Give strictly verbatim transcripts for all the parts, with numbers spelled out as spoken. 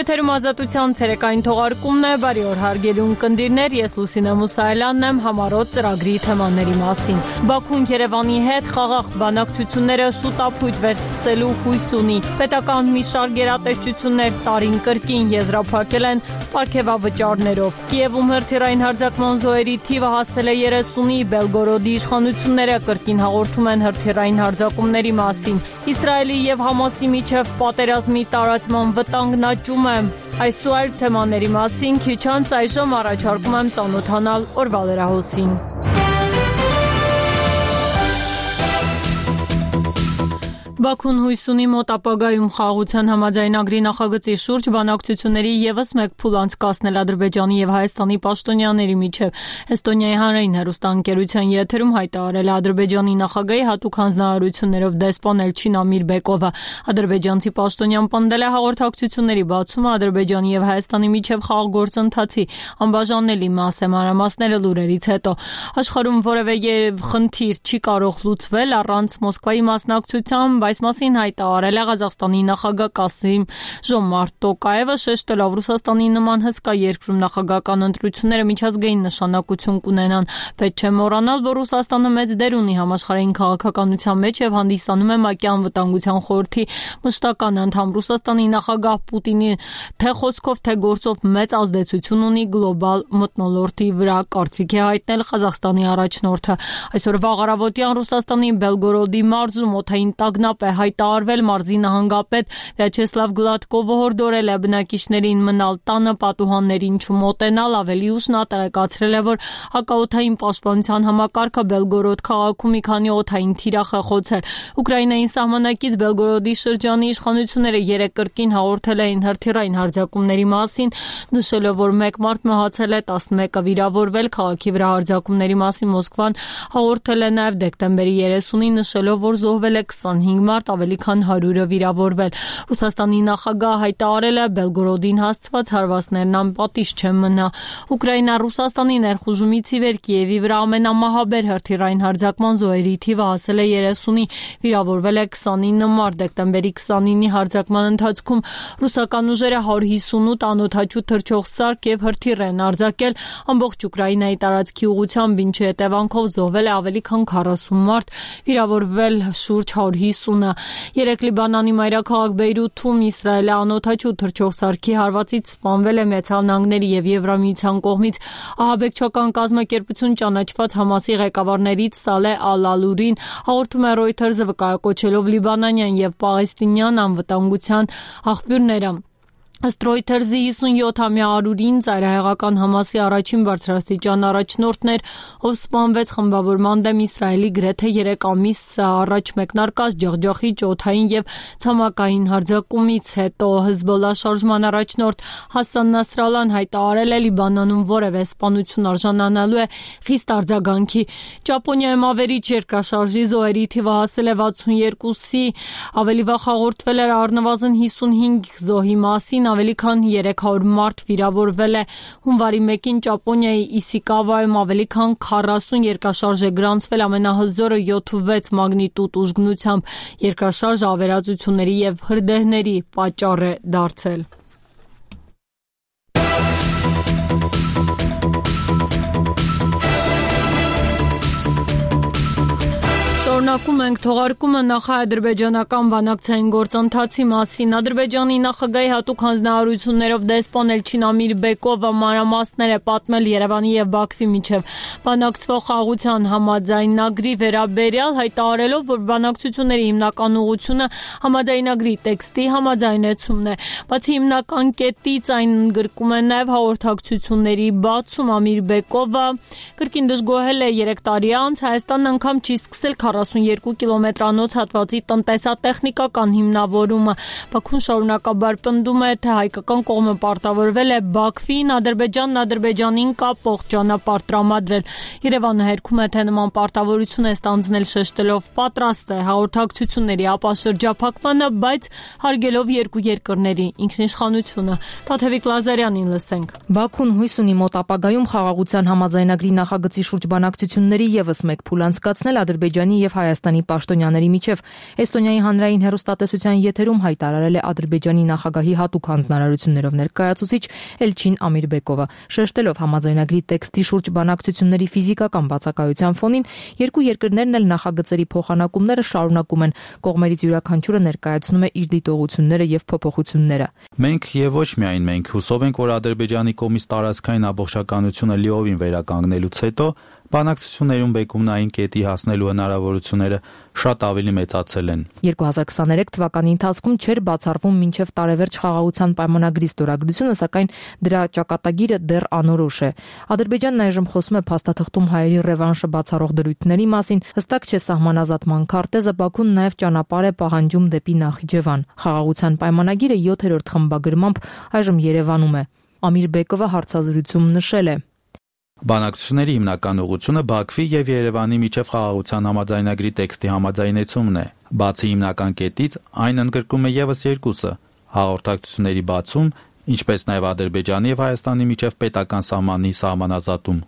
Եթերում ազատության ցերեկային թողարկումն է, բարի օր հարգելի ունկնդիրներ, ես Լուսինե Մուսայելյանն եմ համառոտ ծրագրի թեմաների մասին։ Բաքուն Երևանի հետ խաղաղ բանակցությունները շուտապույտ վերսկսելու հույս ունի։ Պետական մի շարք գերատեսչություններ տարին կրկին եզրափակել են պարգևավճարներով։ Կիևում հրթիռային հարձակման զոհերի թիվը հասել է երեսունի, Բելգորոդի իշխանությունները կրկին հաղորդում են հրթիռային հարձակումների մասին։ Իսրայելի եւ Համասի միջև պատերազմի տարածման վտանգն աճում է։ Այս ու այլ թեմաների մասին քիչ անց այժմ առաջարկում եմ ծանոթանալ օրվա լրահոսին։ Բաքուն հույս ունի մոտ ապագայում խաղաղության համաձայնագրի նախագծի շուրջ բանակցությունների ևս մեկ փուլ անցկացնել Ադրբեջանի եւ Հայաստանի պաշտոնյաների միջև։ Էստոնիայի հանրային հեռուստաընկերության եթերում հայտարարել է Ադրբեջանի նախագահի հատուկ հանձնարարություններով դեսպան Էլչին Ամիրբեկովը։ Ադրբեջանցի պաշտոնյան պնդել է հաղորդակցությունների բացումը Ադրբեջանի եւ Հայաստանի միջև խաղաղ գործընթացի անբաժանելի մաս է, մանրամասները լուրերից հետո։ Աշխարհում որևէ խնդիր չի կարող լուծվել առանց Մոսկվայի մասնակցության, այս մասին հայտարարել է Ղազախստանի նախագահ Կասիմ Ժոմարտ Տոկաևը, շեշտելով Ռուսաստանի նման հսկա երկրում նախագահական ընտրությունները միջազգային նշանակություն կունենան։ Պետք չէ մոռանալ, որ Ռուսաստանը մեծ դեր ունի համաշխարհային քաղաքականության մեջ եւ հանդիսանում է ՄԱԿ-ի անվտանգության խորհրդի մշտական անդամ։ Ռուսաստանի նախագահ Պուտինի թե խոսքով, թե գործով մեծ ազդեցություն ունի գլոբալ մթնոլորտի վրա, կարծիք է հայտնել Ղազախստանի առաջնորդը։ Այսօր վաղ առավոտյան Ռուսաստանի Բելգորոդի մարզում օդային տագնապ է հայտարարվել, մարզի նահանգապետ Վյաչեսլավ Գլադկովը հորդորել է բնակիչներին մնալ տանը, պատուհաններին չմոտենալ, ավելի ուշ նա տեղեկացրել է, որ հակաօդային պաշտպանության համակարգը Բելգորոդ քաղաքում մի քանի օդային թիրախ է խոցել։ Ուկրաինային սահմանակից Բելգորոդի շրջանի իշխանությունները երեկ կրկին հաղորդել էին հրթիռային հարձակումների մասին, նշելով, որ մեկ մարդ մահացել է, տասնմեկը վիրավորվել։ Քաղաքի վրա հարձակումների մասին Մոսկվան հաղորդել է նաև դեկտեմբերի երեսունին, նշելով, որ զոհվել է քսանհինգ մարդ, ավելի քան հարյուրը վիրավորվել։ Ռուսաստանի նախագահը հայտարարել է Բելգորոդին հասցված հարվածներն անպատիժ չեն մնա։ Ուկրաինա Ռուսաստանի ներխուժումից ի վեր Կիևի վրա ամենամահաբեր հրթիռային հարձակման զոհերի թիվը հասել է երեսունի, վիրավորվել է քսանինը մարդ։ Դեկտեմբերի քսանինի հարձակման ընթացքում ռուսական ուժերը հարյուր հիսունութ անօդաչու թռչող սարք եւ հրթիռ են արձակել ամբողջ Ուկրաինայի տարածքի ուղղությամբ, ինչի հետևանքով զոհվել է ավելի քան քառասուն մարդ, վիրավորվել շուրջ հարյուր հիսունը։ Երեկ Լիբանանի մայրաքաղաք Բեյրութում Իսրայելի անօդաչու թռչող սարքի հարվածից սպանվել է Միացյալ Նահանգների եւ Եվրամիության կողմից ահաբեկչական կազմակերպություն ճանաչված Համասի ղեկավարներից Սալեհ Ալ-Ալուրին, հաղորդում է Reuters-ը, վկայակոչելով լիբանանյան եւ պաղեստինյան անվտանգության աղբյուրները։ Ըստ Reuters-ի հիսունյոթամյա Արուրին ծայրահեղական Համասի առաջին բարձրաստիճան առաջնորդն էր, ով սպանվեց խմբավորման դեմ Իսրայելի գրեթե երեք ամիս առաջ մեկնարկած ջախջախիչ օդային եւ ցամաքային հարձակումից հետո։ Հեզբոլլա շարժման առաջնորդ Հասան Նասրալլան հայտարարել է Լիբանանում որևէ սպանություն արժանանալու է խիստ արձագանքի։ Ճապոնիայում ավերիչ երկրաշարժի զոհերի թիվը հասել է վաթսունյոթի, ավելի վաղ հաղորդվել էր առնվազն հիսունհինգ զոհի մասին, ավելի քան երեք հարյուր մարդ վիրավորվել է։ Հունվարի մեկին Ճապոնիայի Իսիկավայում ավելի քան քառասուն երկրաշարժ է գրանցվել, ամենահզորը յոթ ու վեց մագնիտուդ ուժգնությամբ։ Երկրաշարժը ավերածությունների եւ հրդեհների պատճառ է դարձել։ Շարունակում ենք թողարկումը նախ-ադրբեջանական բանակցային գործընթացի մասին։ Ադրբեջանի նախագահի հատուկ հանձնարարություններով դեսպան Էլչին Ամիրբեկովը մանրամասներ է պատմել Երևանի եւ Բաքվի միջև բանակցվող խաղաղության համաձայնագրի վերաբերյալ, հայտարարելով, որ բանակցությունների հիմնական ուղղությունը համաձայնագրի տեքստի համաձայնեցումն է։ Բացի հիմնական կետից այն ընդգրկում է նաեւ հաղորդակցությունների բացում։ Ամիրբեկովը կրկին դժգոհել է երեք տարի անց Հայաստանն անգամ չի սկսել քառասունյոթ կիլոմետրանոց հատվածի տնտեսատեխնիկական հիմնավորումը։ Բաքուն շարունակաբար պնդում է, թե հայկական կողմը պարտավորվել է Բաքվին Ադրբեջանն Ադրբեջանին կապող ճանապարհ տրամադրել։ Երևանը հերքում է, թե նման պարտավորություն է ստանձնել, շեշտելով պատրաստ է հաղորդակցությունների ապա շրջափակմանը, բայց հարգելով երկու երկրների ինքնիշխանությունը։ Տաթևիկ Լազարյանին լսենք։ Բաքուն հույս ունի մոտ ապագայում խաղաղության համաձայնագրի նախագծի շուրջ բանակցությունների ևս մեկ փուլ անցկացնել Ադրբեջանի եւ Հայաստանի պաշտոնյաների միջև։ Էստոնիայի հանրային հեռուստատեսության եթերում հայտարարել է Ադրբեջանի նախագահի հատուկ հանձնարարություններով ներկայացուցիչ Էլչին Ամիրբեկովը, շեշտելով համաձայնագրի տեքստի շուրջ բանակցությունների ֆիզիկական բացակայության ֆոնին, երկու երկրներն էլ նախագծերի փոխանակումները շարունակում են, կողմերից յուրաքանչյուրը ներկայացնում է իր դիտողությունները եւ փոփոխությունները։ Մենք եւ ոչ միայն մենք հուսով ենք, որ Ադրբեջանի կողմից տարածքային ամբողջականությունը լիովին վերականգնելուց հետո բանակցություններում բեկումնային կետի հասնելու հնարավորությունները շատ ավելի մեծացել են։ երկու հազար քսաներեք թվականի ընթացքում չէր բացառվում մինչև տարեվերջ խաղաղության պայմանագրի ստորագրությունը, սակայն դրա ճակատագիրը դեռ անորոշ է։ Ադրբեջանն այժմ խոսում է փաստաթղթում հայերի ռևանշը բացառող դրույթների մասին, հստակ չէ սահմանազատման քարտեզը, Բաքուն նաև ճանապարհ է պահանջում դեպի Նախիջևան։ Խաղաղության պայմանագիրը յոթերորդ խմբագրմամբ այժմ Երևանում է։ Ամիրբեկովը հարցազրույցում նշել է. Բանակցությունների հիմնական ուղղությունը Բաքվի եւ Երևանի միջև խաղաղության համաձայնագրի տեքստի համաձայնեցումն է։ Բացի հիմնական կետից, այն ընդգրկում է եւս երկուսը՝ հաղորդակցությունների բացում, ինչպես նաեւ Ադրբեջանի եւ Հայաստանի միջև պետական սահմանի սահմանազատում։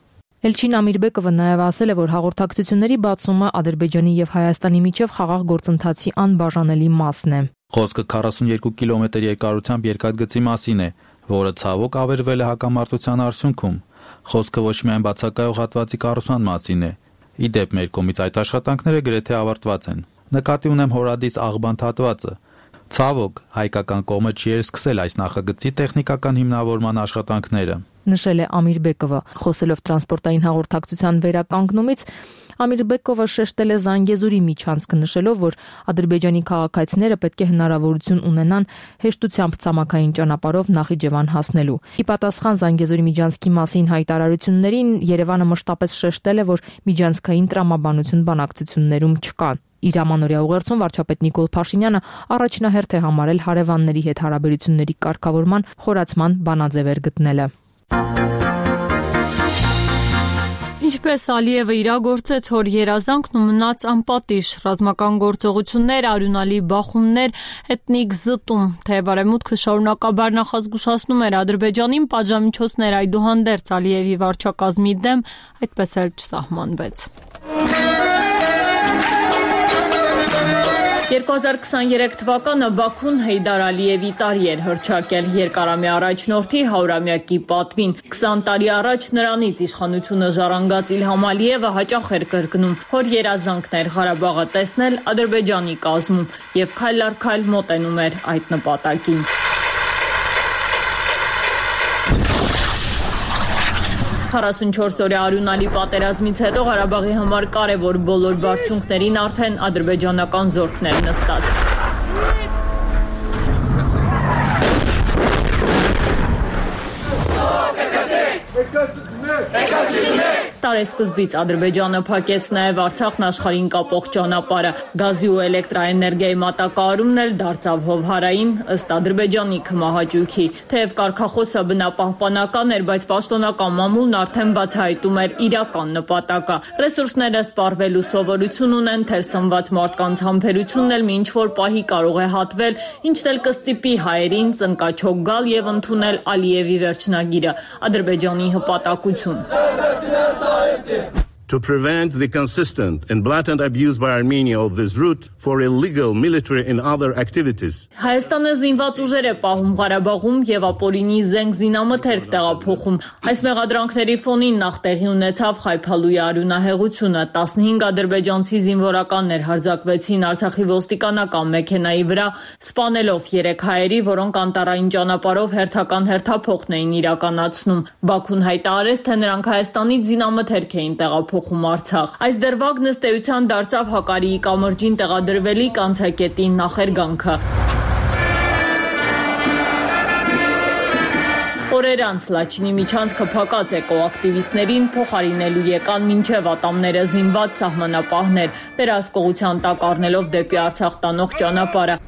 Էլչին Ամիրբեկովը նաև ասել է, որ հաղորդակցությունների բացումը Ադրբեջանի եւ Հայաստանի միջև խաղաղ գործընթացի անբաժանելի մասն է։ Խոսքը քառասունյոթ կիլոմետր երկարությամբ երկաթգծի մասին է, որը ցավոք ավերվել է հակամարտության արդյունքում։ Խոսքը ոչ միայն բացակայող հատվածի կառուցման մասին է։ Ի դեպ, մեր կողմից այդ աշխատանքները գրեթե ավարտված են։ Նկատի ունեմ Հորադիս աղբանդ հատվածը։ Ցավոք, հայկական կողմը չի էր սկսել այս նախագծի տեխնիկական հիմնավորման աշխատանքները, նշել է Ամիրբեկովը, խոսելով տրանսպորտային հաղորդակցության վերականգնումից։ Ամիրբեկովը շեշտել է Զանգեզուրի միջանցքը, նշելով, որ Ադրբեջանի քաղաքացիները պետք է հնարավորություն ունենան հեշտությամբ ցամաքային ճանապարհով Նախիջևան հասնելու։ Ի պատասխան Զանգեզուրի միջանցքի մասին հայտարարություններին Երևանը մշտապես շեշտել է, որ միջանցքային տրամաբանություն բանակցություններում չկա։ Իր ամանորյա ուղերձում վարչապետ Նիկոլ Փաշինյանը առաջնահերթ է համարել հարևանների հետ հարաբերությունների կարգավորման խորացման բանաձևեր գտնելը։ Ինչպես Ալիևը իրագործեց հոր երազանքն ու մնաց անպատիժ, ռազմական գործողություններ, արյունալի բախումներ, էթնիկ զտում, թե բարեմուտքը շարունակաբար նախազգուշացնում էր Ադրբեջանին, պատժամիջոցներ այդուհանդերձ Ալիևի վարչակազմի դեմ այդպես էլ չսահմանվեց։ երկու հազար քսաներեք թվականը Բաքուն Հեյդար Ալիևի տարի էր հռչակել երկարամյա առաջնորդի հարյուրամյակի պատվին։ քսան տարի առաջ նրանից իշխանությունը ժառանգած Իլհամ Ալիևը հաճախ էր կրկնում. հոր երազանքն էր Ղարաբաղը տեսնել Ադրբեջանի կազմում եւ քայլ առ քայլ մոտենում էր այդ նպատակին։ քառասունչորս օրյա արյունալի պատերազմից հետո Ղարաբաղի համար կարևոր բոլոր բարձունքներին արդեն ադրբեջանական զորքներ նստած։ Տարեսկզբից Ադրբեջանը փակեց նաև Արցախն աշխարհին կապող ճանապարհը։ Գազի ու էլեկտրաէներգիայի մատակարարումն էլ դարձավ հովհարային ըստ Ադրբեջանի քմահաճույքի։ Թեև կարգախոսը բնապահպանական էր, բայց պաշտոնական մամուլն արդեն բացահայտում էր իրական նպատակը։ Ռեսուրսները սպառվելու սովորություն ունեն, թերսնված մարդկանց համբերությունն էլ մի ինչ-որ պահի կարող է հատվել, ինչն էլ կստիպի հայերին ծնկաչոք գալ եւ ընդունել Ալիևի վերջնագիրը՝ Ադրբեջանի հպատակություն։ To prevent the consistent and blatant abuse by Armenia of this route for illegal military and other activities. Հայաստանը զինված ուժեր է պահում Ղարաբաղում եւ ապօրինի զենք զինամթերք տեղափոխում։ Այս մեղադրանքների ֆոնին նախ տեղի ունեցավ Խայփալուի արյունահեղությունը։ տասնհինգ ադրբեջանցի զինվորականներ հարձակվեցին Արցախի ոստիկանական մեքենայի վրա, սպանելով երեք հայերի, որոնք անտառային ճանապարհով հերթական հերթափոխն էին իրականացնում։ Բաքուն հայտարարեց, թե նրանք Հայաստանից զինամթերք էին տեղափոխում Արցախ։ Այս դրվագն ըստ էության դարձավ Հակարիի կամրջին տեղադրվելիք անցակետի նախերգանքը։ Օրեր անց Լաչինի միջանցքը փակած էկոակտիվիստներին փոխարինելու եկան մինչև ատամները զինված սահմանապահներ, վերահսկողության տակ առնելով դեպի Արցախ տանող ճանապարհը։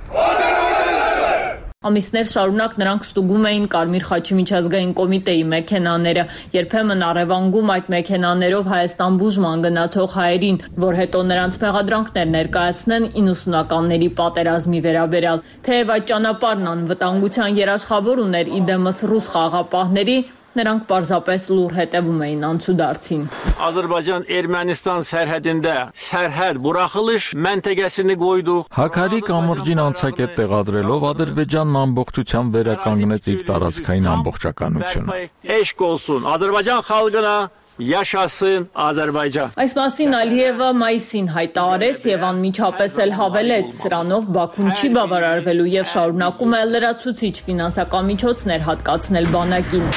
Ամիսներ շարունակ նրանք ստուգում էին Կարմիր խաչի միջազգային կոմիտեի մեքենաները, երբեմն առևանգում այդ մեքենաներով Հայաստան բուժման գնացող հայերին, որ հետո նրանց մեղադրանքներ ներկայացնեն իննսունականների պատերազմի վերաբերյալ։ Թեև այդ ճանապարհն անվտանգության երաշխավոր ուներ իդեմս ռուս խաղաղապահների, նրանք պարզապես լուր հետևում էին անցուդարձին։ Azərbaycan-Ermənistan sərhədində sərhəd buraxılış məntəqəsini qoyduq. Հաքարի կամրջին անցակետ տեղադրելով Ադրբեջանն ամբողջությամբ վերականգնեց իր տարածքային ամբողջականությունը։ Eşq olsun Azərbaycan xalqına, Yaşasın Azərbaycan։ Այս մասին Ալիևը մայիսին հայտարարեց եւ անմիջապես էլ հավելեց, սրանով Բաքուն չի բավարարվելու եւ շարունակում է լրացուցիչ ֆինանսական միջոցներ հատկացնել բանակին։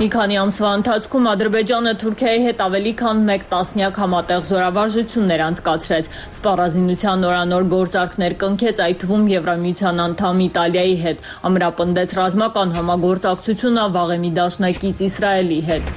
Մի քանի ամսվա ընթացքում Ադրբեջանը Թուրքիայի հետ ավելի քան մեկ տասնյակ համատեղ զորավարժություններ անցկացրեց, սպառազինության նորանոր գործարքներ կնքեց, այդ թվում Եվրամիության անդամ Իտալիայի հետ, ամրապնդեց ռազմական համագործակցությունը վաղեմի դաշնակից Իսրայելի հետ։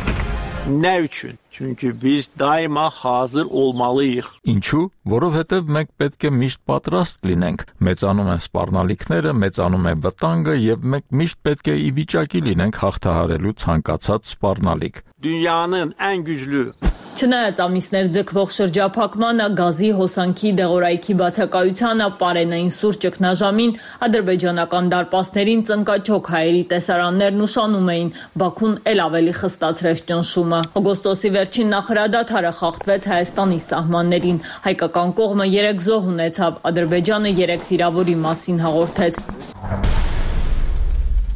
Nə üçün? Çünki biz daima hazır olmalıyıq։ Ինչու? Որովհետև մենք պետք է միշտ պատրաստ լինենք։ Մեծանում են սպառնալիքները, մեծանում է վտանգը եւ մենք միշտ պետք է ի վիճակի լինենք հաղթահարելու ցանկացած սպառնալիք։ Dünyanın ən güclü Չնայած ամիսներ ձգվող շրջափակմանը, գազի, հոսանքի, դեղորայքի բացակայությանը, պարենային սուր ճգնաժամին, ադրբեջանական դարպասներին ծնկաչոք հայերի տեսարաններն ուշանում էին, Բաքուն էլ ավելի խստացրեց ճնշումը։ Օգոստոսի վերջին նախարարադադարը խախտվեց Հայաստանի սահմաններին, հայկական կողմը երեք զոհ ունեցավ, Ադրբեջանը երեք վիրավորի մասին հաղորդեց։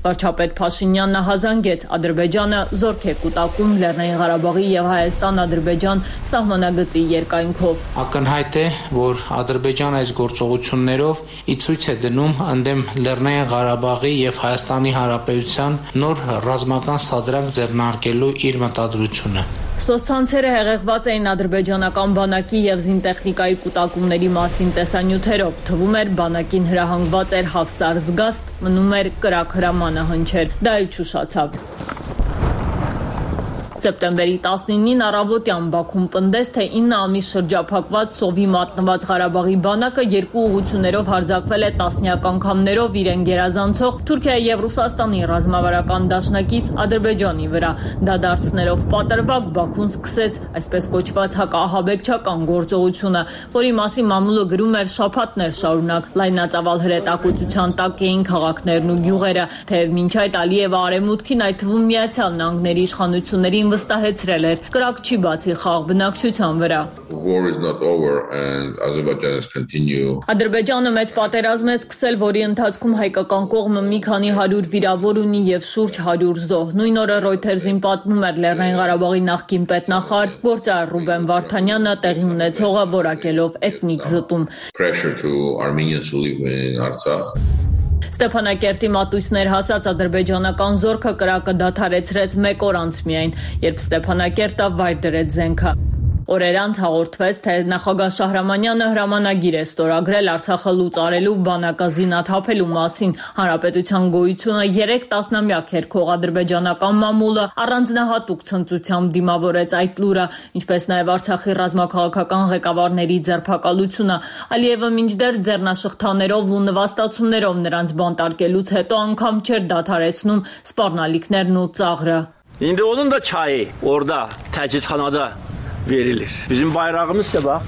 Վարչապետ Փաշինյանն հազանգեց, Ադրբեջանը զորք է կուտակում Լեռնային Ղարաբաղի եւ Հայաստան-Ադրբեջան սահմանագծի երկայնքով։ Ակնհայտ է, որ Ադրբեջանը այս գործողություններով ի ցույց է դնում ընդդեմ Լեռնային Ղարաբաղի եւ Հայաստանի Հանրապետության նոր ռազմական սադրանք ձեռնարկելու իր մտադրությունը։ Սոցցանցերը հեղեղված էին ադրբեջանական բանակի եւ զինտեխնիկայի կուտակումների մասին տեսանյութերով, թվում էր բանակին հրահանգված էր Հավսար զգաստ, մնում էր կրակ հրամանը հնչեր, դա էլ չուշացավ։ Սեպտեմբերի տասնինին առավոտյան Բաքուն պնդեց, թե ինը ամիս շրջափակված սովի մատնված Ղարաբաղի բանակը երկու ուղղություններով հարձակվել է տասնյակ անգամներով իրեն գերազանցող Թուրքիայի եւ Ռուսաստանի ռազմավարական դաշնակից Ադրբեջանի վրա։ Դա դարձնելով պատրվակ Բաքուն սկսեց այսպես կոչված հակաահաբեկչական գործողությունը, որի մասին մամուլը գրում էր շաբաթներ շարունակ։ Լայնածավալ հրետակոծության տակ էին քաղաքներն ու գյուղերը, թեև մինչ այդ Ալիևը արևմուտքին, այդ թվում Միացյալ Նահանգների իշխանություններին վստահեցրել էր, կրակ չի բացի խաղ բնակչության վրա։ Ադրբեջանը մեծ պատերազմ է սկսել, որի ընթացքում հայկական կողմը մի քանի հարյուր վիրավոր ունի եւ շուրջ հարյուր զոհ։ Նույն օրը Reuters-ին պատմում էր Լեռնային Ղարաբաղի նախկին պետնախարար գործարար Ռուբեն Վարդանյանը տեղի ունեցողը որակելով էթնիկ զտում։ Ստեփանակերտի մատույցներ հասած ադրբեջանական զորքը կրակը դադարեցրեց մեկ օր անց միայն, երբ Ստեփանակերտը վայր դրեց զենքը։ Օրեր անց հաղորդվեց, թե նախագահ Շահրամանյանը հրամանագիր է ստորագրել Արցախը լուծարելու բանակազինաթափելու մասին։ Հանրապետության գոյությունը երեք տասնամյակ հերքող ադրբեջանական մամուլը առանձնահատուկ ցնծությամբ դիմավորեց այդ լուրը, ինչպես նաև Արցախի ռազմաքաղաքական ղեկավարների ձերբակալությունը։ Ալիևը մինչդեռ ձեռնաշղթաներով ու նվաստացումներով նրանց բանտարկելուց հետո անգամ չէր դադարեցնում սպառնալիքներն ու ծաղրը։ İndi onun da çayı orada təcridxanada verilir. Bizim bayrağımız da bax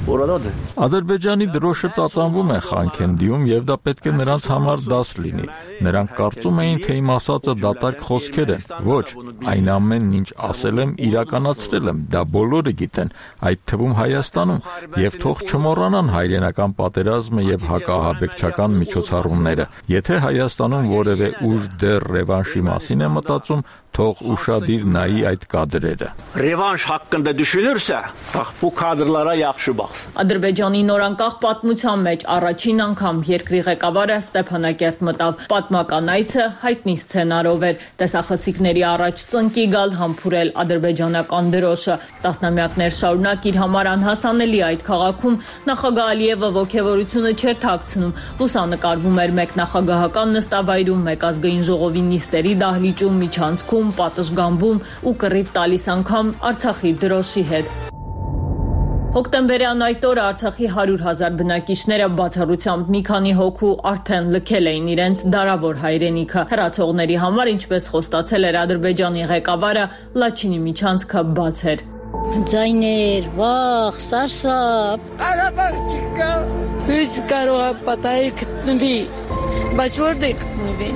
oradadır. Ադրբեջանի դրոշը ծածանվում է Խանքենդիում եւ դա պետք է նրանց համար դաս լինի։ Նրանք կարծում էին, թե իմ ասածը դատարկ խոսքեր են։ Ոչ, այն ամենն ինչ ասել եմ, իրականացրել եմ, դա բոլորը գիտեն, այդ թվում Հայաստանում, եւ թող չմոռանան հայրենական պատերազմը եւ հակաահաբեկչական միջոցառումները։ Եթե Հայաստանում որևէ ուժ դեռ ռևանշի մասին է մտածում, թող ուշադիր նայի այդ կադրերը։ Ռևանշ haqqında düşünürsə, bax bu kadrlara yaxşı baxsın։ Ադրբեջանի նորանկախ պատմության մեջ առաջին անգամ երկրի ղեկավարը Ստեփանակերտ մտավ։ Պատմական այցը հայտնի սցենարով էր։ Տեսախցիկների առաջ ծնկի գալ համբուրել ադրբեջանական դրոշը։ Տասնամյակներ շարունակ իր համար անհասանելի այդ քաղաքում նախագահ Ալիևը ողջավորությունը չէր թաքցնում։ Լուսանկարվում էր մեկ նախագահական նստավայրում, մեկ ազգային ժողովի նիստերի դահլիճում, միջանցքում, պատշգամբում ու կռիվ տալիս անգամ Արցախի դրոշի հետ։ Հոկտեմբերյան այդ օրը Արցախի հարյուր հազար բնակիչները բացառությամբ մի քանի հոգու արդեն լքել էին իրենց դարավոր հայրենիքը։ Հեռացողների համար, ինչպես խոստացել էր Ադրբեջանի ղեկավարը, Լաչինի միջանցքը բաց էր։ Ձայներ, վախ, սարսափ։ Ղարաբաղ չկա։ Հույս կարող է պատահի գտնվի, բայց որտե՞ղ գտնվի։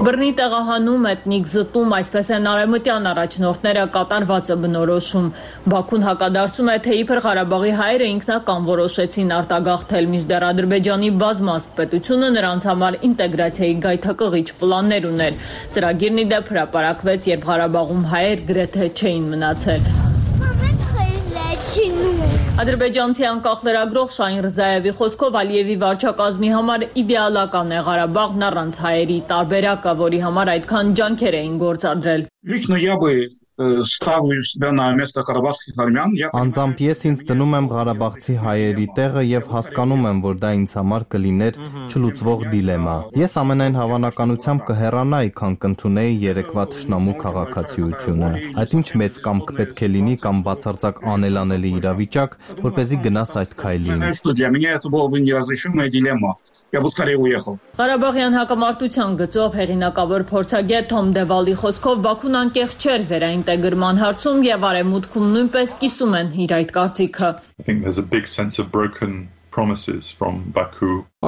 Բռնի տեղահանում, էթնիկ զտում, այսպես են արևմտյան առաջնորդները կատարվածը բնորոշում։ Բաքուն հակադարձում է, թե Իբր Ղարաբաղի հայերը ինքնական որոշեցին արտագաղթել, մինչդեռ Ադրբեջանի բազմազգ պետությունը նրանց համար ինտեգրացիայի գայթակղիչ պլաններ ուներ։ Ծրագիրն ի դեպ հրապարակվեց, երբ Ղարաբաղում հայեր գրեթե չէին մնացել։ Ադրբեջանցի անկախ լրագրող Շահին Ռզայևի խոսքով Ալիևի վարչակազմի համար իդեալական է Ղարաբաղն առանց հայերի, տարբերակը, որի համար այդքան ջանքեր էին գործադրել։ Անձամբ ես ինձ դնում եմ ղարաբաղցի հայերի տեղը եւ հասկանում եմ, որ դա ինձ համար կլիներ չլուծվող դիլեմա։ Ես ամենայն հավանականությամբ կհեռանայի, քան կընդունեի երեկվա թշնամու քաղաքացիությունը։ Այդ ինչ մեծ կամք պետք է լինի կամ բացարձակ անելանելի իրավիճակ, որպեսզի գնաս այդ քայլին։ Ղարաբաղյան հակամարտության գծով հեղինակավոր փորձագետ Թոմ Դևալի խոսքով Բաքուն անկեղծ չէր վերաինտեգրման հարցում եւ Արևմուտքում նույնպես կիսում են իր այդ կարծիքը։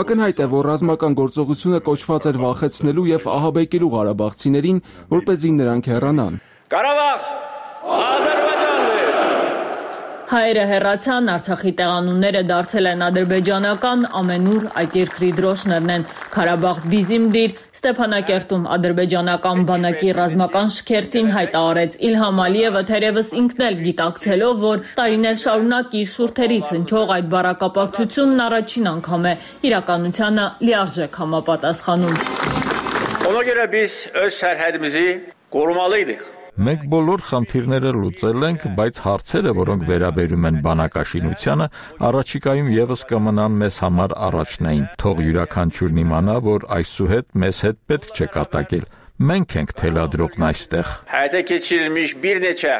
Ակնհայտ է, որ ռազմական գործողությունը կոչված էր վախեցնելու եւ ահաբեկելու ղարաբաղցիներին, որպեսզի նրանք հեռանան։ Ղարաբաղ, Ադրբեջանն է։ Հայերը հեռացան, Արցախի տեղանունները դարձել են ադրբեջանական, ամենուր այդ երկրի դրոշներն են։ Ղարաբաղ Բիզիմդիր, Ստեփանակերտում ադրբեջանական բանակի ռազմական շքերթին հայտարարեց Իլհամ Ալիևը, թերևս ինքն էլ գիտակցելով, որ տարիներ շարունակ իր շուրթերից հնչող այդ բառակապակցությունն առաջին անգամ է իրականությանը լիարժեք համապատասխանում։ Ona görə biz öz sərhədimizi qorumalıydıq։ Մենք բոլոր խնդիրները լուծել ենք, բայց հարցերը, որոնք վերաբերում են բանակաշինությանը, առաջիկայում եւս կմնան մեզ համար առաջնային։ Թող յուրաքանչյուրն իմանա, որ այսուհետ մեզ հետ պետք չէ կատակել։ Մենք ենք թելադրողն այստեղ։ Həyata keçirilmiş bir neçə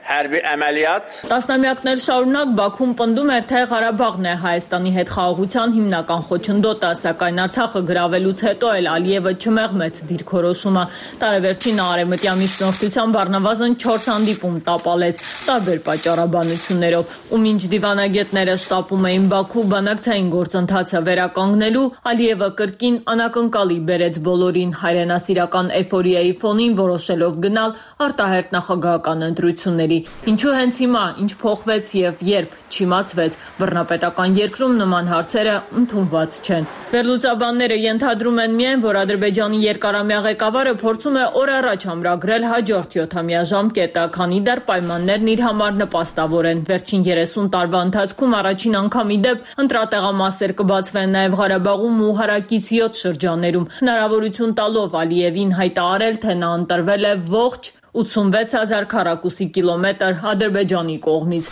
hərbi əməliyyat Տասնամյակներ շարունակ Բաքուն պնդում էր, թե Ղարաբաղն է Հայաստանի հետ խաղաղության հիմնական խոչընդոտը, սակայն Արցախը գրավելուց հետո էլ Ալիևը չմեղմեց դիրքորոշումը։ Տարեվերջին արևմտյան միջնորդությամբ առնվազն չորս հանդիպում տապալեց տարբեր պատճառաբանություններով, ու մինչ դիվանագետները շտապում էին Բաքու բանակցային գործընթացը վերականգնելու, Ալիևը կրկին անակնկալի բերեց բոլորին հայրենասիրական էйֆորիայի ֆոնին, որոշելով գնալ արտահերթ նախագահական ընտրությունների։ Ինչու հենց հիմա, ինչ փոխվեց եւ երբ չիմացվեց, բռնապետական երկրում նման հարցերը ընդունված չեն։ Վերլուծաբանները ենթադրում են միայն, որ Ադրբեջանի երկարամյա ղեկավարը փորձում է օր առաջ ամրագրել հաջորդ յոթամյա ժամկետը, քանի դեռ պայմաններն իր համար նպաստավոր են։ Վերջին երեսուն տարվա ընթացքում առաջին անգամ ի դեպ ընտրատեղամասեր կբացվեն նաեւ Ղարաբաղում ու հարակից յոթ շրջաններում, հնարավորություն տալով Ալիևին հայտարարել, թե նա ընտրվել է ողջ ութսունվեց հազար քառակուսի կիլոմետր Ադրբեջանի կողմից։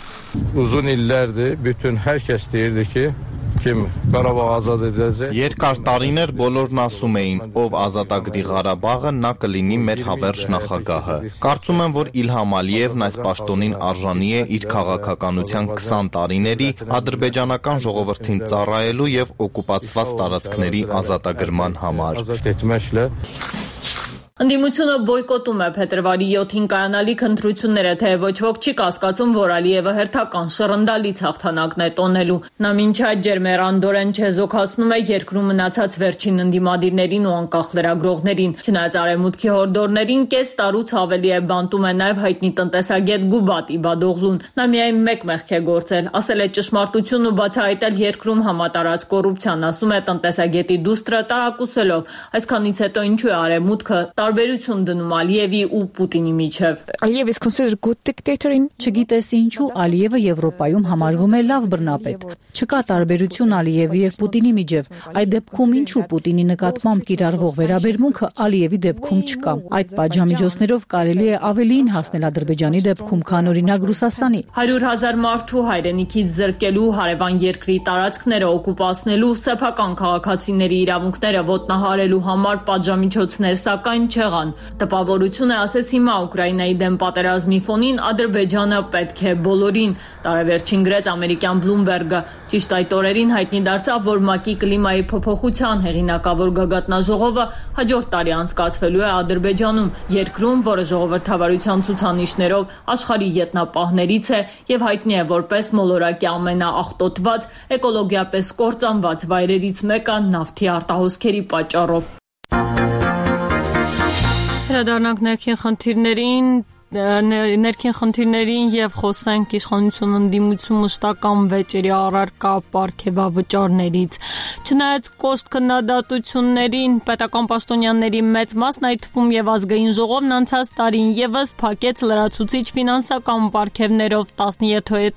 Uzun illərdir bütün hər kəs deyirdi ki, kim Qarabağ azad edəcək։ Երկար տարիներ բոլորն ասում էին, ով ազատագրի Ղարաբաղը, նա կլինի մեր հավերժ նախագահը։ Կարծում եմ, որ Իլհամ Ալիևն այս պաշտոնին արժանի է իր քաղաքականության քսան տարիների ադրբեջանական ժողովրդին ծառայելու եւ օկուպացված տարածքների ազատագրման համար։ Ընդդիմությունը բոյկոտում է փետրվարի յոթին կայանալիք ընտրությունները, թե ոչ ոք չի կասկածում, որ Ալիևը հերթական շռնդալից հաղթանակն է տոնելու։ Նա մինչ այդ ջերմեռանդորեն չեզոքացնում է երկրում մնացած վերջին ընդդիմադիրներին ու անկախ լրագրողներին։ Չնայած արևմուտքի հորդորներին, կես տարուց ավելի է բանտում է նաև հայտնի տնտեսագետ Գուբատ Իբադօղլուն։ Նա միայն մեկ մեղք է գործել, ասել է ճշմարտությունն ու բացահայտել երկրում համատարած կոռուպցիան, ասում է տնտեսագետի դուստրը տարակուսելով։ Այսքանից հետո ինչու է արևմուտքը տարբերություն դնում Ալիևի ու Պուտինի միջև։ Aliyev is considered good dictator in Չգիտես ինչու Ալիևը Եվրոպայում համարվում է լավ բռնապետ։ Չկա տարբերություն Ալիևի եւ Պուտինի միջև։ Այդ դեպքում ինչու Պուտինի նկատմամբ կիրառվող վերաբերմունքը Ալիևի դեպքում չկա։ Այդ պատժամիջոցներով կարելի է ավելին հասնել Ադրբեջանի դեպքում, քան օրինակ Ռուսաստանի։ հարյուր հազար մարդու հայրենիքից զրկելու, հարևան երկրի տարածքները օկուպացնելու, սեփական քաղաքացիների իրավունքները ոտնահարելու համար պատժամիջոցներ, սակայն չեղան։ Տպավորություն է, ասես հիմա Ուկրաինայի դեմ պատերազմի ֆոնին Ադրբեջանը պետք է բոլորին։ Տարեվերջին գրեց ամերիկյան Bloomberg-ը։ Ճիշտ այդ օրերին հայտնի դարձավ, որ ՄԱԿ-ի կլիմայի փոփոխության հեղինակավոր գագաթնաժողովը հաջորդ տարի անցկացվելու է Ադրբեջանում, երկրում, որը ժողովրդավարության ցուցանիշներով աշխարհի յետնապահներից է եւ հայտնի է որպես մոլորակի ամենաաղտոտված, էկոլոգիապես կործանված վայրերից մեկը նավթի արտահոսքերի պատճառով։ Անդրադառնանք ներքին խնդիրներին ներքին խնդիրներին եւ խոսենք իշխանություն ընդդիմություն մշտական վեճերի առարկա պարգևավճարներից։ Չնայած կոշտ քննադատություններին, պետական պաշտոնյաների մեծ մասն, այդ թվում եւ ազգային ժողովն անցած տարին եւս փակեց լրացուցիչ ֆինանսական պարգևներով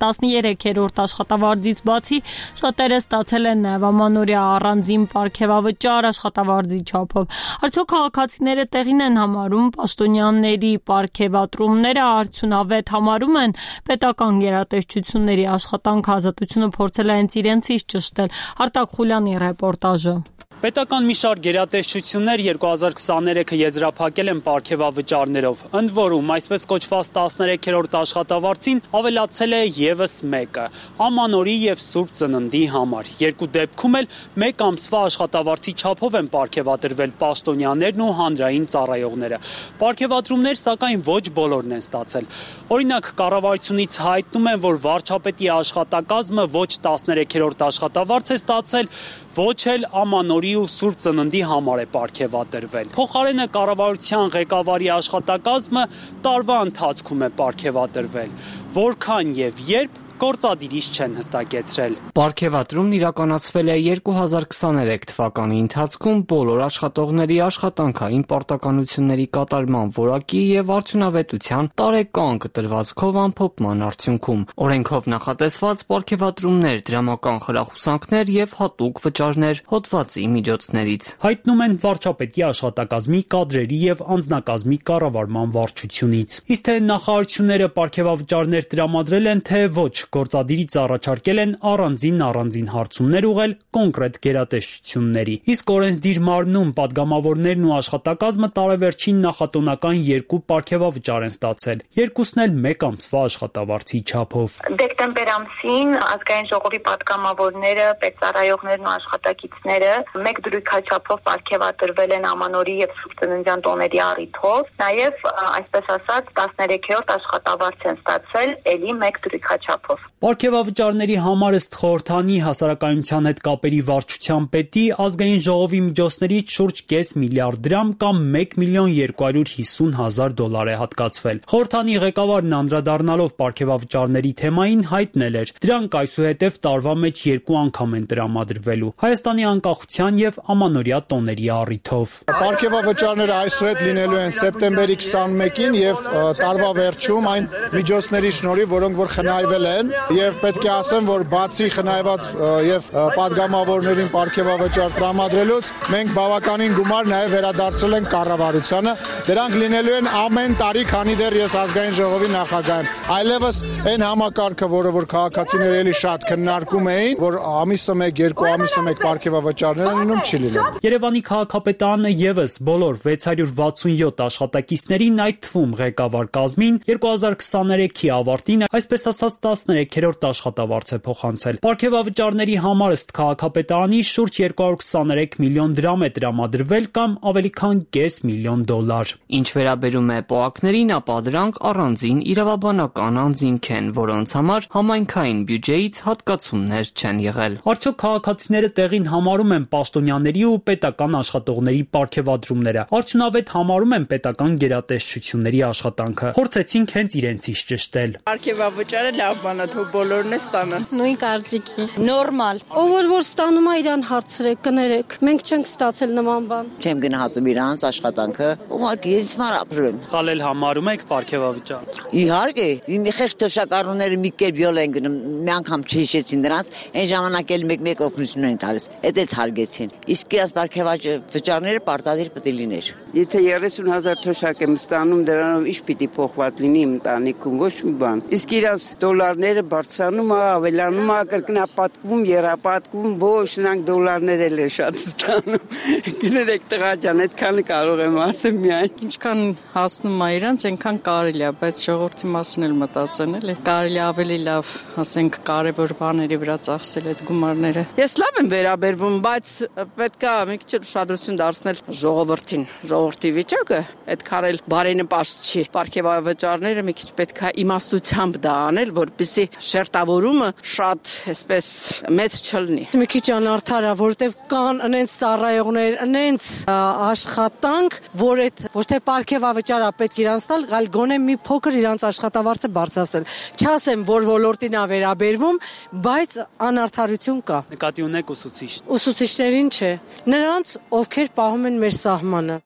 տասնյոթերորդ աշխատավարձից բացի շատերը ստացել են նաեւ ամանորյա առանձին պարգևավճար աշխատավարձի չափով։ Արդյոք քաղաքացիները տեղին են համարում պաշտոնյաների պարգևատրում ները արդյունավետ համարում են պետական գերատեսչությունների աշխատանք ազատությունը փորձել է հենց իրենցից ճշտել։ Արտակ Խուլյանի ռեպորտաժը։ Պետական մի շարք գերատեսչություններ երկու հազար քսաներեքը եզրափակել են պարգևավճարներով, ընդ որում այսպես կոչված տասներեքերորդ աշխատավարձին ավելացել է եւս մեկը՝ ամանորի եւ Սուրբ Ծննդի համար։ Երկու դեպքում էլ մեկ ամսվա աշխատավարձի չափով են պարգևատրվել պաշտոնյաներն ու հանրային ծառայողները։ Պարգևատրումներ, սակայն ոչ բոլորն են ստացել։ Օրինակ, կառավարությունից հայտնում են, որ վարչապետի աշխատակազմը ոչ տասներեքերորդ աշխատավարձ է ստացել, ոչ էլ ամանորի ու Սուրբ Ծննդի համար է պարգևատրվել։ Փոխարենը կառավարության ղեկավարի աշխատակազմը տարվա ընթացքում է պարգևատրվել։ Որքան եւ երբ գործադիրից չեն հստակեցրել։ Պարգևատրումն իրականացվել է երկու հազար քսաներեք թվականի ընթացքում բոլոր աշխատողների աշխատանքային պարտականությունների կատարման որակի եւ արդյունավետության տարեկան կտրվածքով ամփոփման արդյունքում։ Օրենքով նախատեսված պարգևատրումներ, դրամական խրախուսանքներ եւ հատուկ վճարներ հոդվածի միջոցներից։ Հայտնում են վարչապետի աշխատակազմի կադրերի եւ անձնակազմի կառավարման վարչությունից։ Իսկ թե նախարարությունները պարգևավճարներ տրամադրել են, թե ոչ, գործադիրից առաջարկել են առանձին առանձին հարցումներ ուղղել կոնկրետ գերատեսչությունների։ Իսկ օրենսդիր մարմնում падգամավորներն ու աշխատակազմը տարեվերջին նախատոնական երկու պարգևավճար են ստացել, երկուսն էլ մեկ ամսվա աշխատավարձի չափով։ Դեկտեմբեր ամսին ազգային ժողովի падգամավորները, պետծառայողներն ու աշխատակիցները մեկ դրույքաչափով պարգևատրվել են ամանորի եւ Սուրբ Ծննդյան տոների առիթով, նաեւ այսպես ասած տասներեքերորդ աշխատավարձ են ստացել ելի մեկ դրույքաչափով։ Պարգևավճարների համար ըստ խորհրդանի հասարակայնության հետ կապերի վարչության պետի ազգային ժողովի միջոցներից շուրջ կես միլիարդ դրամ կամ մեկ միլիոն երկու հարյուր հիսուն հազար դոլար է հատկացվել։ Խորհրդանի ղեկավարն անդրադառնալով պարգևավճարների թեմային հայտնել էր, դրանք այսուհետև տարվա մեջ երկու անգամ են տրամադրվելու՝ Հայաստանի անկախության եւ ամանորյա տոների առիթով։ Պարգևավճարները այսուհետ լինելու են սեպտեմբերի քսանմեկին եւ տարվա վերջում այն միջոցների շնորհիվ, որոնք որ խնայվել են, եւ պետք է ասեմ, որ բացի խնայված եւ падգամավորներին պարգևավճար տրամադրելուց մենք բավականին գումար նաեւ վերադարձրել ենք կառավարությանը։ Դրանք լինելու են ամեն տարի, քանի դեռ ես ազգային ժողովի նախագահ եմ։ Այլևս այն համակարգը, որը որ քաղաքացիները էլի շատ քննարկում էին, որ ամիսը մեկ, երկու ամիսը մեկ պարգևավճարներ են լինում, չի լինում։ Երևանի քաղաքապետարանը եւս բոլոր վեց հարյուր վաթսունյոթ աշխատակիցներին, այդ թվում ղեկավար կազմին երկու հազար քսաներեքի ավարտին այսպես ասած տասներեքերորդ աշխատավարձ է փոխանցել։ Պարգևավճարների համար ըստ քաղաքապետարանի շուրջ երկու հարյուր քսաներեք միլիոն դրամ է տրամադրվել կամ ավելի քան կես միլիոն դոլար։ Ինչ վերաբերում է պոակներին, ապա դրանք առանձին իրավաբանական անձինք են, որոնց համար համայնքային բյուջեից հատկացումներ չեն եղել։ Արդյոք քաղաքացիները տեղին համարում են պաշտոնյաների ու պետական աշխատողների պարգևատրումները, արդյունավետ համարում են պետական գերատեսչությունների աշխատանքը։ Փորձեցինք հենց իրենցից ճշտել։ Պարգևավճարը լավ բան է, թող բոլորն է ստանան։ Նույն կարծիքի։ Նորմալ։ Ով որ որ ստանում է, իրան հարցրեք, կներեք։ Մենք չենք ստացել նման բան։ Չեմ գնահատում իրանց աշխատանքը, ուղղակի ինձ մար ապրում։ Խալել համարում եք պարգևավճար։ Իհարկե, իմ խեղճ թոշակառուները մի կերպ յոլ են գնում, մի անգամ չհիշեցին դրանց, այն ժամանակ էլ մեկ-մեկ օգնություն են տալիս։ Էդ էլ հարգեցին։ Իսկ իրաց պարգևավճարները պարտադիր պետք է լիներ։ Եթե երեսուն հազար թոշակ եմ ստանում, դրանով ինչ պիտի փոխված լինի իմ ընտանիքում, ոչ մի բան։ Իսկ իրաց դոլարները բարձրանում է, ավելանում է, կրկնապատկվում, եռապատկվում, ոչ նրանք դոլարներ էլ են շատ ստանում։ Գներեք տղա ջան, այդքանը կարող եմ ասեմ միայն։ Ինչքան հասնում է իրանց, այնքան կարելի է, բայց ժողովրդի մասին էլ մտածեն, էլի։ Կարելի ավելի լավ, ասենք, կարևոր բաների վրա ծախսել այդ գումարները։ Ես լավ եմ վերաբերվում, բայց պետք է մի քիչ ուշադրություն դարձնել ժողովրդին։ Ժողովրդի վիճակը այդքան էլ բարենպաստ չի։ Պարգևավճարները մի քիչ պետք է իմաստությամբ դա անել, որպեսզի որպեսի շերտավորումը շատ այսպես մեծ չլինի։ Մի քիչ անարդար է, որովհետև կան այնց ծառայողներ, այնց աշխատանք, որ այդ ոչ թե պարգևավճար է պետք իրանց տալ, այլ գոնե մի փոքր իրանց աշխատավարձը բարձրացնել։ Չասեմ, որ ոլորտին է վերաբերվում, բայց անարդարություն կա։ Նկատի ունեք ուսուցիչ։ Ուսուցիչներին չէ, նրանց, ովքեր պահում են մեր սահմանը։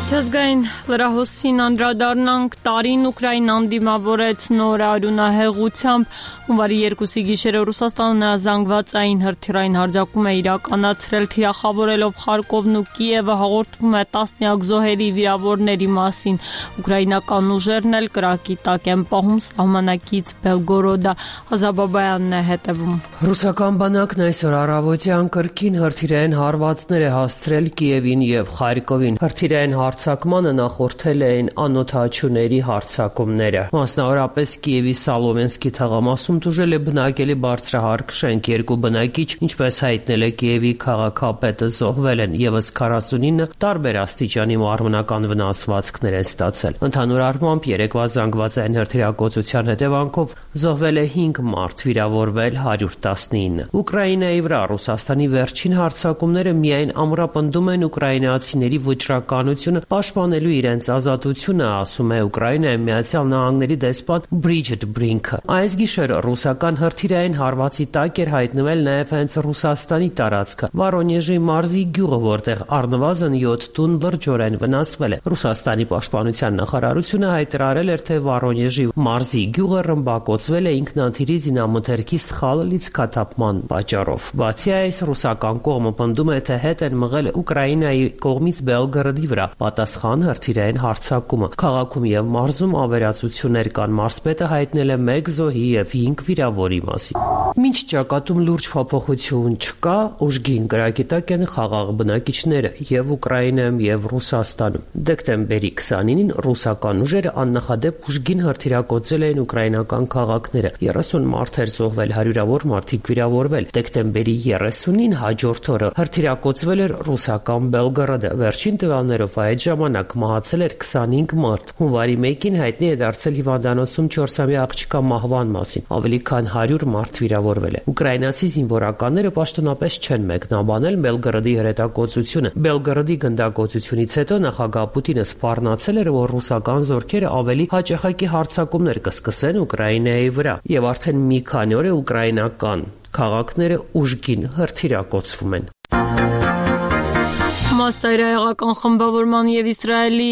Չազգային լրահոսին անդրադառնանք տարին Ուկրաինան դիմավորեց նոր արյունահեղությամբ հունվարի երկուսի գիշերը Ռուսաստանը զանգվածային հրթիռային հարձակում է իրականացրել թիրախավորելով Խարկովն ու Կիևը հաղորդվում է տասնյակ զոհերի վիրավորների մասին ուկրաինական ուժերն էլ կրակի տակ են պահում սահմանակից Բելգորոդա Հազաբաբայանն է հետևում Ռուսական բանակն այսօր առավոտյան կրկին հրթիռային հարվածներ է հասցրել Կիևին եւ Խարկովին հրթիռային Հարձակմանը նախորդել էին անօթաչուների հարձակումները։ Մասնավորապես Կիևի Սալովենսկի թաղամասում տուժել է բնակելի բարձրահարկ շենք, երկու բնակիչ, ինչպես հայտնել է Կիևի քաղաքապետը, զոհվել են, եւս քառասունինը տարբեր աստիճանի մարմնական վնասվածքներ են ստացել։ Ընդհանուր առմամբ երեկվա զանգվածային հրթիռակոծության հետևանքով զոհվել է հինգ մարդ, վիրավորվել հարյուր տասնինը։ Ուկրաինայի վրա Ռուսաստանի վերջին հարձակումները միայն ամրապնդում են ուկրաինացիների վճռականությունը պաշտպանելու իրենց ազատությունը, ասում է Ուկրաինայի Միացյալ Նահանգների դեսպան Բրիջիտ Բրինքը։ Այս գիշեր ռուսական հրթիռային հարվածի տակ էր հայտնվել նաև հենց Ռուսաստանի տարածքը Վորոնեժի մարզի գյուղը, որտեղ առնվազն յոթ տուն լրջորեն վնասվել է։ Ռուսաստանի պաշտպանության նախարարությունը հայտարարել էր, թե Վորոնեժի մարզի գյուղը ռմբակոծվել է ինքնաթիռի զինամթերքի սխալ լիցքաթափման պատճառով։ Բացի այս, ռուսական կողմը պնդում է, թե հետ են մղել Ուկրաինայի կողմից Բելգորոդի վրա պատասխան հրթիռային հարձակումը։ Քաղաքում եւ մարզում ավերածություններ կան։ Մարզպետը հայտնել է մեկ զոհի եւ հինգ վիրավորի մասին։ Մինչ ճակատում լուրջ փոփոխություն չկա, ուժգին կրակի տակ են խաղաղ բնակիչները եւ Ուկրաինայում եւ Ռուսաստանում։ Դեկտեմբերի քսանինին ռուսական ուժերը աննախադեպ ուժգին հրթիռակոծել էին ուկրաինական քաղաքները։ երեսուն մարդ էր զոհվել, հարյուրավոր մարդիկ վիրավորվել։ Դեկտեմբերի երեսունին հաջորդ օրը հրթիռակոծվել էր ռուսական Բելգորոդը։ Վերջին տվյալներով այդ ժամանակ մահացել էր քսանհինգ մարդ։ Հունվարի մեկին հայտնի է դարձել հիվանդանոցում չորսամյա աղջկա մահվան մասին։ Ավելի քան հարյուր մարդ վիրավորվել է։ Ուկրաինացի զինվորականները պաշտոնապես չեն մեկնաբանել Բելգորոդի հրետակոծությունը։ Բելգորոդի գնդակոծությունից հետո նախագահ Պուտինը սպառնացել էր, որ ռուսական զորքերը ավելի հաճախակի հարձակումներ կսկսեն Ուկրաինայի վրա, եւ արդեն մի քանի օր է ուկրաինական քաղաքները ուժգին հրթիռակոծվում են։ Համաստայրահեղական խմբավորման եւ Իսրայելի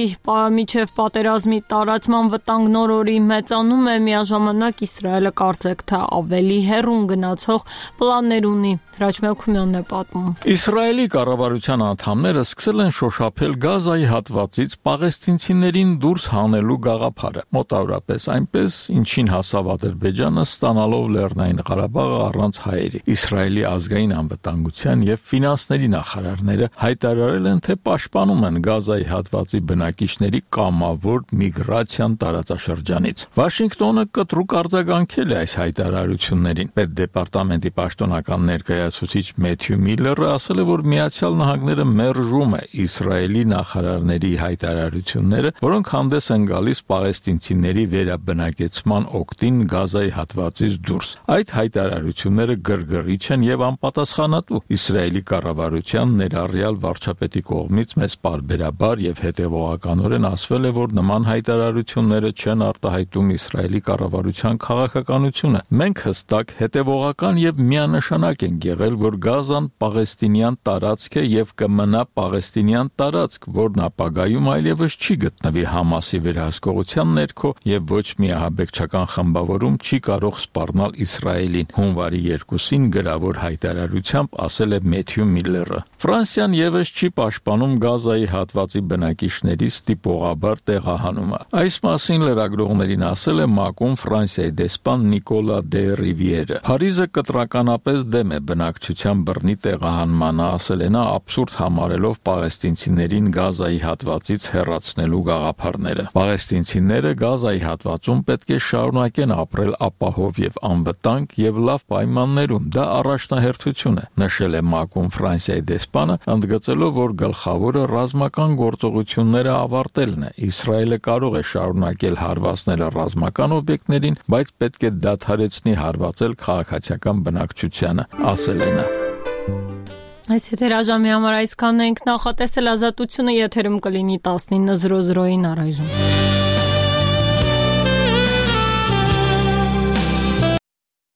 միջև պատերազմի տարածման վտանգ նոր օրի մեծանում է, միաժամանակ Իսրայելը կարծեք թե ավելի հեռուն գնացող պլաններ ունի։ Հրաչ Մելքումյանն է պատմում։ Իսրայելի կառավարության անդամները սկսել են շոշափել Գազայի հատվածից պաղեստինցիներին դուրս հանելու գաղափարը, մոտավորապես այնպես, ինչին հասավ Ադրբեջանը ստանալով Լեռնային Ղարաբաղը առանց հայերի։ Իսրայելի ազգային անվտանգության եւ ֆինանսների նախարարները հայտարարել են, թե պաշտպանում են Գազայի հատվածի բնակիչների կամավոր միգրացիան տարածաշրջանից։ Վաշինգտոնը կտրուկ արձագանքել է այս հայտարարություններին։ Պետդեպարտամենտի պաշտոնական ներկայացուցիչ Մեթյու Միլլերը ասել է, որ Միացյալ Նահանգները մերժում է Իսրայելի նախարարների հայտարարությունները, որոնք հանդես են գալիս պաղեստինցիների վերաբնակեցման օգտին Գազայի հատվածից դուրս։ Այդ հայտարարությունները գրգռիչ են եւ անպատասխանատու։ Իսրայելի կառավարության ներառյալ վարչապետի կողմից մեծ պարբերաբար եւ հետեւողականորեն ասվել է, որ նման հայտարարությունները չեն արտահայտում Իսրայելի կառավարության քաղաքականությունը։ Մենք հստակ, հետեւողական եւ միանշանակ ենք եղել, որ Գազան պաղեստինյան տարածք է եւ կմնա պաղեստինյան տարածք, որն ապագայում այլևս չի գտնվի Համասի վերահսկողության ներքո եւ ոչ մի ահաբեկչական խմբավորում չի կարող սպառնալ Իսրայելին։ Հունվարի երկուսին գրավոր հայտարարությամբ ասել է Մեթյու Միլլերը։ Ֆրանսիան եւս չի պաշտպանում Գազայի հատվածի բնակիչների ստիպողաբար տեղահանումը։ Այս մասին լրագրողներին ասել է ՄԱԿ-ում Ֆրանսիայի դեսպան Նիկոլա դե Ռիվիերը։ Փարիզը կտրականապես դեմ է բնակչության բռնի տեղահանմանը, ասել է նա, աբսուրդ համարելով պաղեստինցիներին Գազայի հատվածից հեռացնելու գաղափարները։ Պաղեստինցիները Գազայի հատվածում պետք է շարունակեն ապրել ապահով եւ անվտանգ եւ լավ պայմաններում։ Դա առաջնահերթություն է, նշել է ՄԱԿ-ում Ֆրանսիայի դեսպան դեսպանը, ընդգծելով, որ գլխավորը ռազմական գործողությունները ավարտելն է։ Իսրայելը կարող է շարունակել հարվածները ռազմական օբյեկտներին, բայց պետք է դադարեցնի հարվածել քաղաքացիական բնակչությանը, ասել է նա։ Այս եթերաժամի համար այսքանն ենք, նախատեսել ազատությունը եթերում կլինի տասնինը զրո զրոյին առայժմ։